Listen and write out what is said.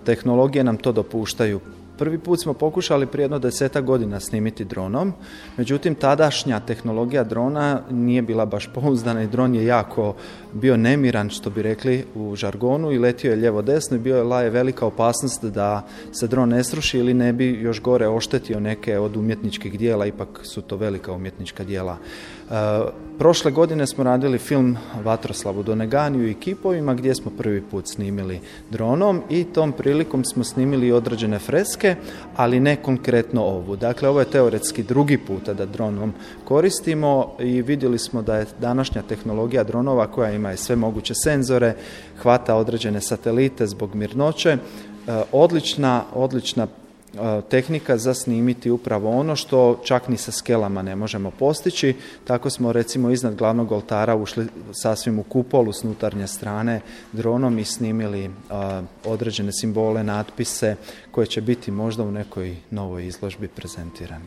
tehnologije nam to dopuštaju. Prvi put smo pokušali prije jedno 10 godina snimiti dronom, međutim tadašnja tehnologija drona nije bila baš pouzdana i dron je jako bio nemiran, što bi rekli u žargonu, i letio je lijevo desno i bila je velika opasnost da se dron ne sruši ili ne bi još gore oštetio neke od umjetničkih dijela, ipak su to velika umjetnička dijela. Prošle godine smo radili film Vatroslavu Doneganiju i kipovima gdje smo prvi put snimili dronom i tom prilikom smo snimili određene freske, ali ne konkretno ovu. Dakle, ovo je teoretski drugi puta da dronom koristimo i vidjeli smo da je današnja tehnologija dronova koja ima i sve moguće senzore, hvata određene satelite zbog mirnoće, odlična tehnika za snimiti upravo ono što čak ni sa skelama ne možemo postići. Tako smo recimo iznad glavnog oltara ušli sasvim u kupolu s unutarnje strane dronom i snimili određene simbole, natpise koje će biti možda u nekoj novoj izložbi prezentirani.